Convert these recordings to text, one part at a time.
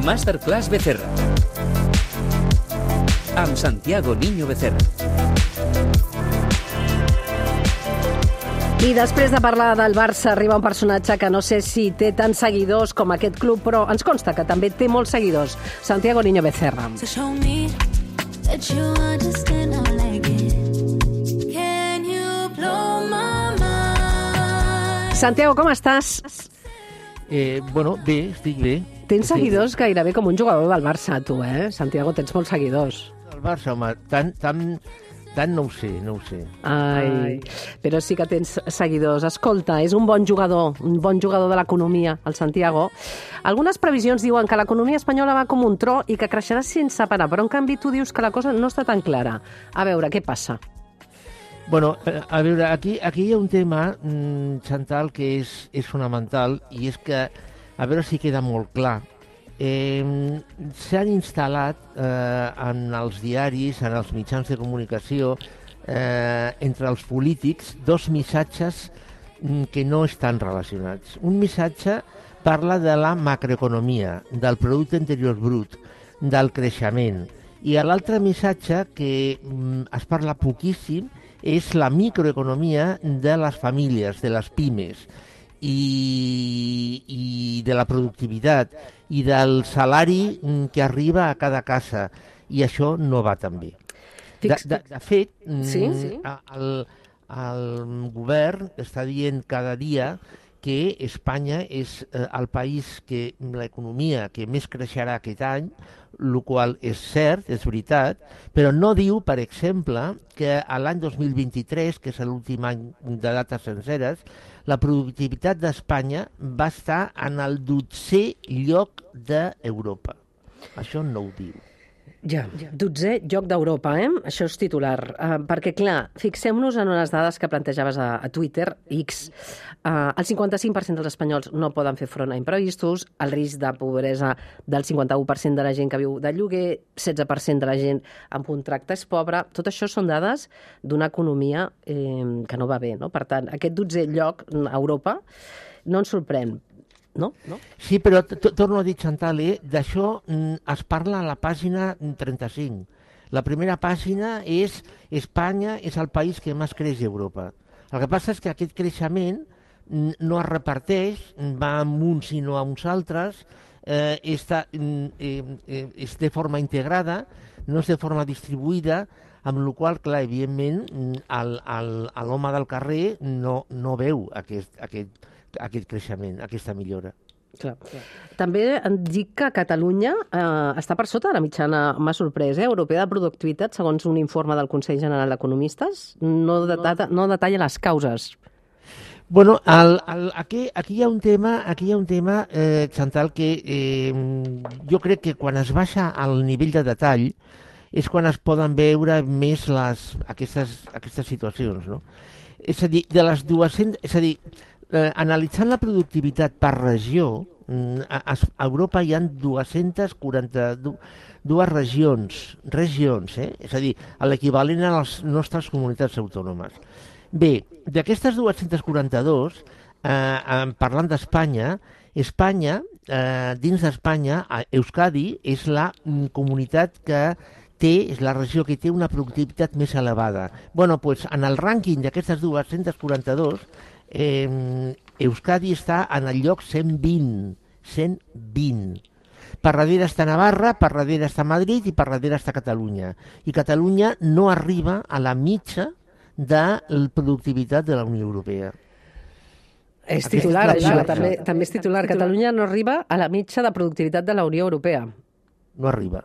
Masterclass Becerra. Amb Santiago Niño Becerra. I després de parlar del Barça arriba un personatge que no sé si té tants seguidors com aquest club, però ens consta que també té molts seguidors. Santiago Niño Becerra. Santiago, com estàs? Bueno, bé, estic bé. Tens seguidors gairebé com un jugador del Barça, tu, Santiago, tens molts seguidors. El Barça, home, tant no ho sé. Ai, però sí que tens seguidors. Escolta, és un bon jugador de l'economia, el Santiago. Algunes previsions diuen que l'economia espanyola va com un tro i que creixerà sense parar, però en canvi tu dius que la cosa no està tan clara. A veure, què passa? Bueno, a veure, aquí hi ha un tema, Chantal, que és fonamental, i és que, a veure si queda molt clar, s'han instal·lat en els diaris, en els mitjans de comunicació, entre els polítics, dos missatges que no estan relacionats. Un missatge parla de la macroeconomia, del producte interior brut, del creixement, i l'altre missatge que es parla poquíssim és la microeconomia de les famílies, de les pimes, i de la productivitat, i del salari que arriba a cada casa, i això no va tan bé. De fet, el govern està dient cada dia que Espanya és el país que l'economia que més creixerà aquest any, el qual és cert, és veritat, però no diu, per exemple, que l'any 2023, que és l'últim any de dates senceres, la productivitat d'Espanya va estar en el 12è lloc d'Europa. Això no ho diu. Ja, 12è lloc d'Europa, Això és titular. Perquè, clar, fixem-nos en unes dades que plantejaves a Twitter, X. El 55% dels espanyols no poden fer front a imprevistos, el risc de pobresa del 51% de la gent que viu de lloguer, 16% de la gent amb contracte és pobra. Tot això són dades d'una economia que no va bé, no? Per tant, aquest 12è lloc a Europa no ens sorprèn. No? Sí, però torno a dir, Chantal, d'això es parla a la pàgina 35. La primera pàgina és Espanya és el país que més creix d'Europa. El que passa és que aquest creixement no es reparteix, va amb uns i no amb uns altres, és de forma integrada, no és de forma distribuïda, amb la qual cosa, clar, evidentment, l'home del carrer no veu aquest creixement, aquesta millora. Clar. També em dic que Catalunya està per sota de la mitjana, m'ha sorprès, europea de productivitat, segons un informe del Consell General d'Economistes. No detalla les causes. Bueno, aquí hi ha un tema, Chantal, que jo crec que quan es baixa al nivell de detall és quan es poden veure més aquestes situacions, no? És a dir, analitzant la productivitat per regió, a Europa hi ha 242 regions, és a dir, l'equivalent a les nostres comunitats autònomes. Bé, d'aquestes 242, parlant d'Espanya, dins d'Espanya, Euskadi és la comunitat és la regió que té una productivitat més elevada. Bueno, doncs en el rànquing d'aquestes 242, Euskadi està en el lloc 120. Per darrere està Navarra, per darrere està Madrid i per darrere està Catalunya. I Catalunya no arriba a la mitja de la productivitat de la Unió Europea. És titular, això. També és titular. Catalunya no arriba a la mitja de productivitat de la Unió Europea. No arriba.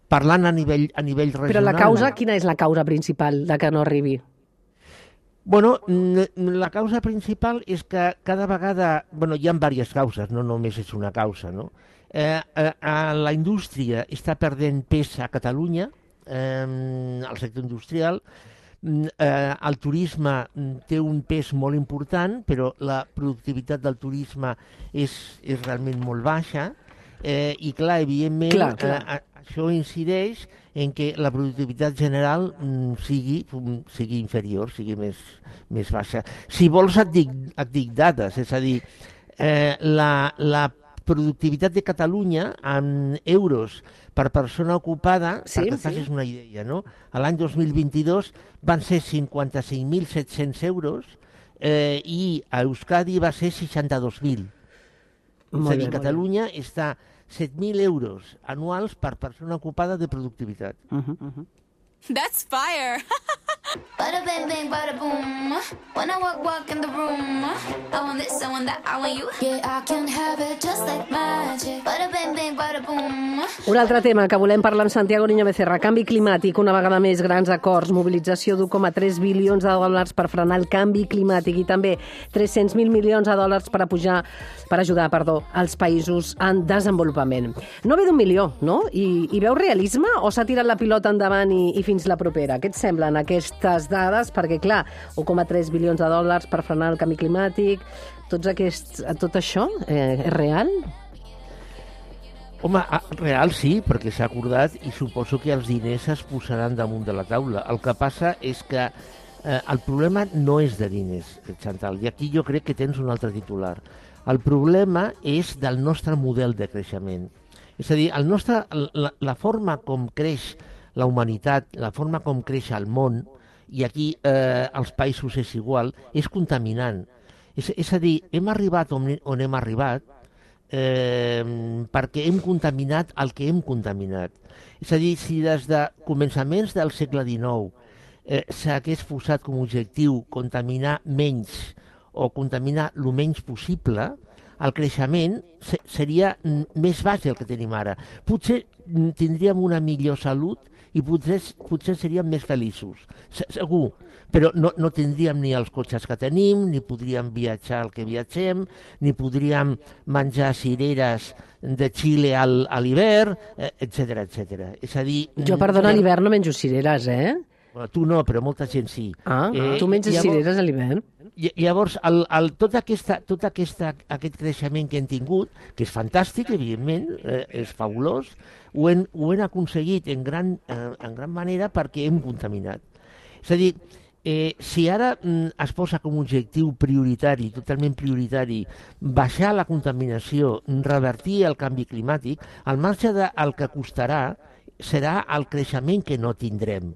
Parlant a nivell regional... Però la causa, quina és la causa principal de que no arribi? Bueno, la causa principal és que cada vegada... Bueno, hi ha diverses causes, no només és una causa, no? La indústria està perdent pes a Catalunya, el sector industrial. El turisme té un pes molt important, però la productivitat del turisme és realment molt baixa. I clar, evidentment, això incideix en què la productivitat general sigui inferior, sigui més baixa. Si vols et dic dades, és a dir, la productivitat de Catalunya en euros per persona ocupada, perquè facis una idea, no? L'any 2022 van ser 55.700 euros i a Euskadi va ser 62.000. És a dir, Catalunya està 7.000 euros anuals per persona ocupada de productivitat. That's fire! Bada bang bang bada boom. When I walk in the room, I want this, I want that, I want you. Yeah, I can have it just like magic. Bada bang bang bada boom. Un altre tema que volem parlar amb Santiago Niño Becerra, canvi climàtic, una vegada més grans acords, mobilització d'1,3 bilions de dòlars per frenar el canvi climàtic i també 300.000 milions de dòlars per ajudar als països en desenvolupament. No ve d'un milió, no? I veu realisme o s'ha tirat la pilota endavant i fins la propera? Què et semblen aquestes dades? Perquè, clar, 1,3 bilions de dòlars per frenar el canvi climàtic, tot això és real? Home, real sí, perquè s'ha acordat i suposo que els diners es posaran damunt de la taula. El que passa és que el problema no és de diners, Chantal, i aquí jo crec que tens un altre titular. El problema és del nostre model de creixement. És a dir, la forma com creix la humanitat, la forma com creix el món, i aquí als països és igual, és contaminant. És a dir, hem arribat on hem arribat perquè hem contaminat el que hem contaminat. És a dir, si des de començaments del segle XIX s'hagués posat com a objectiu contaminar menys o contaminar el menys possible, el creixement seria més baix del que tenim ara. Potser tindríem una millor salut i potser seríem més feliços, segur, però no tindríem ni els cotxes que tenim, ni podríem viatjar el que viatgem, ni podríem menjar cireres de Xile a l'hivern, etc etc. És a dir... Jo, perdona, a l'hivern no menjo cireres, Tu no, però molta gent sí. Tu menges cireres a l'hivern? Llavors, tot aquest creixement que hem tingut, que és fantàstic, evidentment, és fabulós, ho hem aconseguit en gran manera perquè hem contaminat. És a dir, si ara es posa com a objectiu prioritari, totalment prioritari, baixar la contaminació, revertir el canvi climàtic, al marge del que costarà serà el creixement que no tindrem.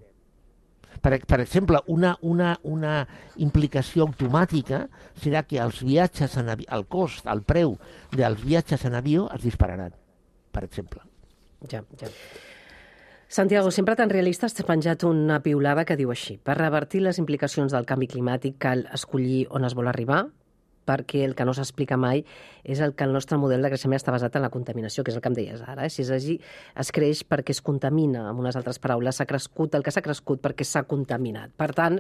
Per exemple, una implicació automàtica serà que els viatges el cost, el preu dels viatges en avió es dispararan, per exemple. Ja. Santiago, sempre tan realista, has penjat una piulada que diu així: per revertir les implicacions del canvi climàtic cal escollir on es vol arribar, perquè el que no s'explica mai és que el nostre model de creixement està basat en la contaminació, que és el que em deies ara. Si és així, es creix perquè es contamina, amb unes altres paraules, el que s'ha crescut perquè s'ha contaminat. Per tant,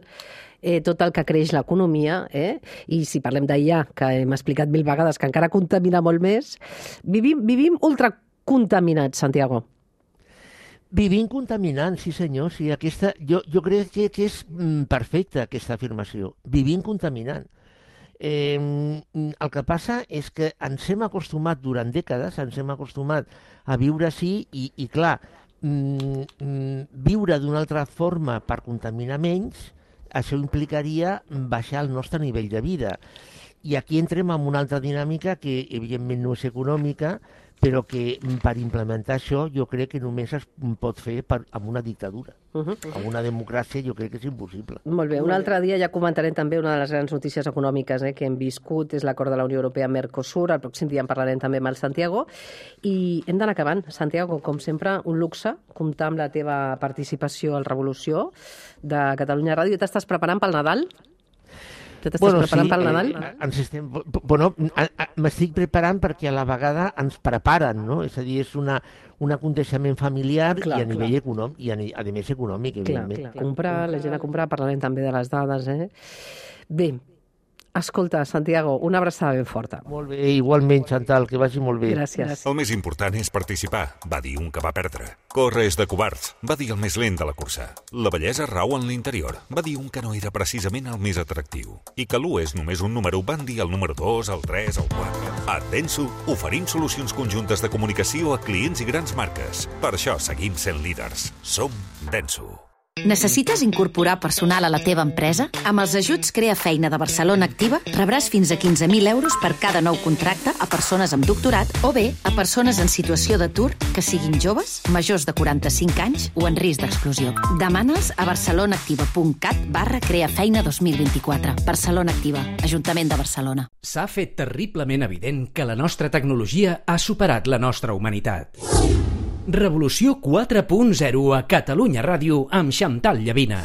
tot el que creix l'economia, i si parlem d'IA, que hem explicat 1000 vegades que encara contamina molt més, vivim ultracontaminats, Santiago. Vivim contaminant, sí senyor. Sí, jo crec que és perfecta aquesta afirmació. Vivim contaminant. El que passa és que ens hem acostumat durant dècades, a viure així i clar, viure d'una altra forma per contaminar menys, això implicaria baixar el nostre nivell de vida. I aquí entrem en una altra dinàmica que evidentment no és econòmica, però que per implementar això jo crec que només es pot fer amb una dictadura. Amb una democràcia jo crec que és impossible. Molt bé, un altre dia ja comentarem també una de les grans notícies econòmiques que hem viscut, és l'acord de la Unió Europea-Mercosur, el pròxim dia en parlarem també amb el Santiago, i hem d'anar acabant. Santiago, com sempre, un luxe comptar amb la teva participació al Revolució de Catalunya Ràdio. T'estàs preparant pel Nadal? T'estàs preparant pel Nadal? M'estic preparant perquè a la vegada ens preparen, no? És a dir, és un aconteixement familiar i a nivell econòmic, i a més econòmic, evidentment. Comprar, la gent a comprar, parlarem també de les dades, Bé, escolta, Santiago, una abraçada ben forta. Molt bé, igualment, Chantal, que vagi molt bé. Gràcies. El més important és participar, va dir un que va perdre. Córrer és de covards, va dir el més lent de la cursa. La bellesa rau en l'interior, va dir un que no era precisament el més atractiu. I que l'1 és només un número, van dir el número 2, el 3, el 4. A Denso oferim solucions conjuntes de comunicació a clients i grans marques. Per això seguim sent líders. Som Denso. Necessites incorporar personal a la teva empresa? Amb els ajuts Crea Feina de Barcelona Activa rebràs fins a 15.000 euros per cada nou contracte a persones amb doctorat o bé a persones en situació d'atur que siguin joves, majors de 45 anys o en risc d'exclusió. Demana'ls a barcelonaactiva.cat/creafeina 2024. Barcelona Activa, Ajuntament de Barcelona. S'ha fet terriblement evident que la nostra tecnologia ha superat la nostra humanitat. Revolució 4.0 a Catalunya Ràdio amb Xantal Llavina.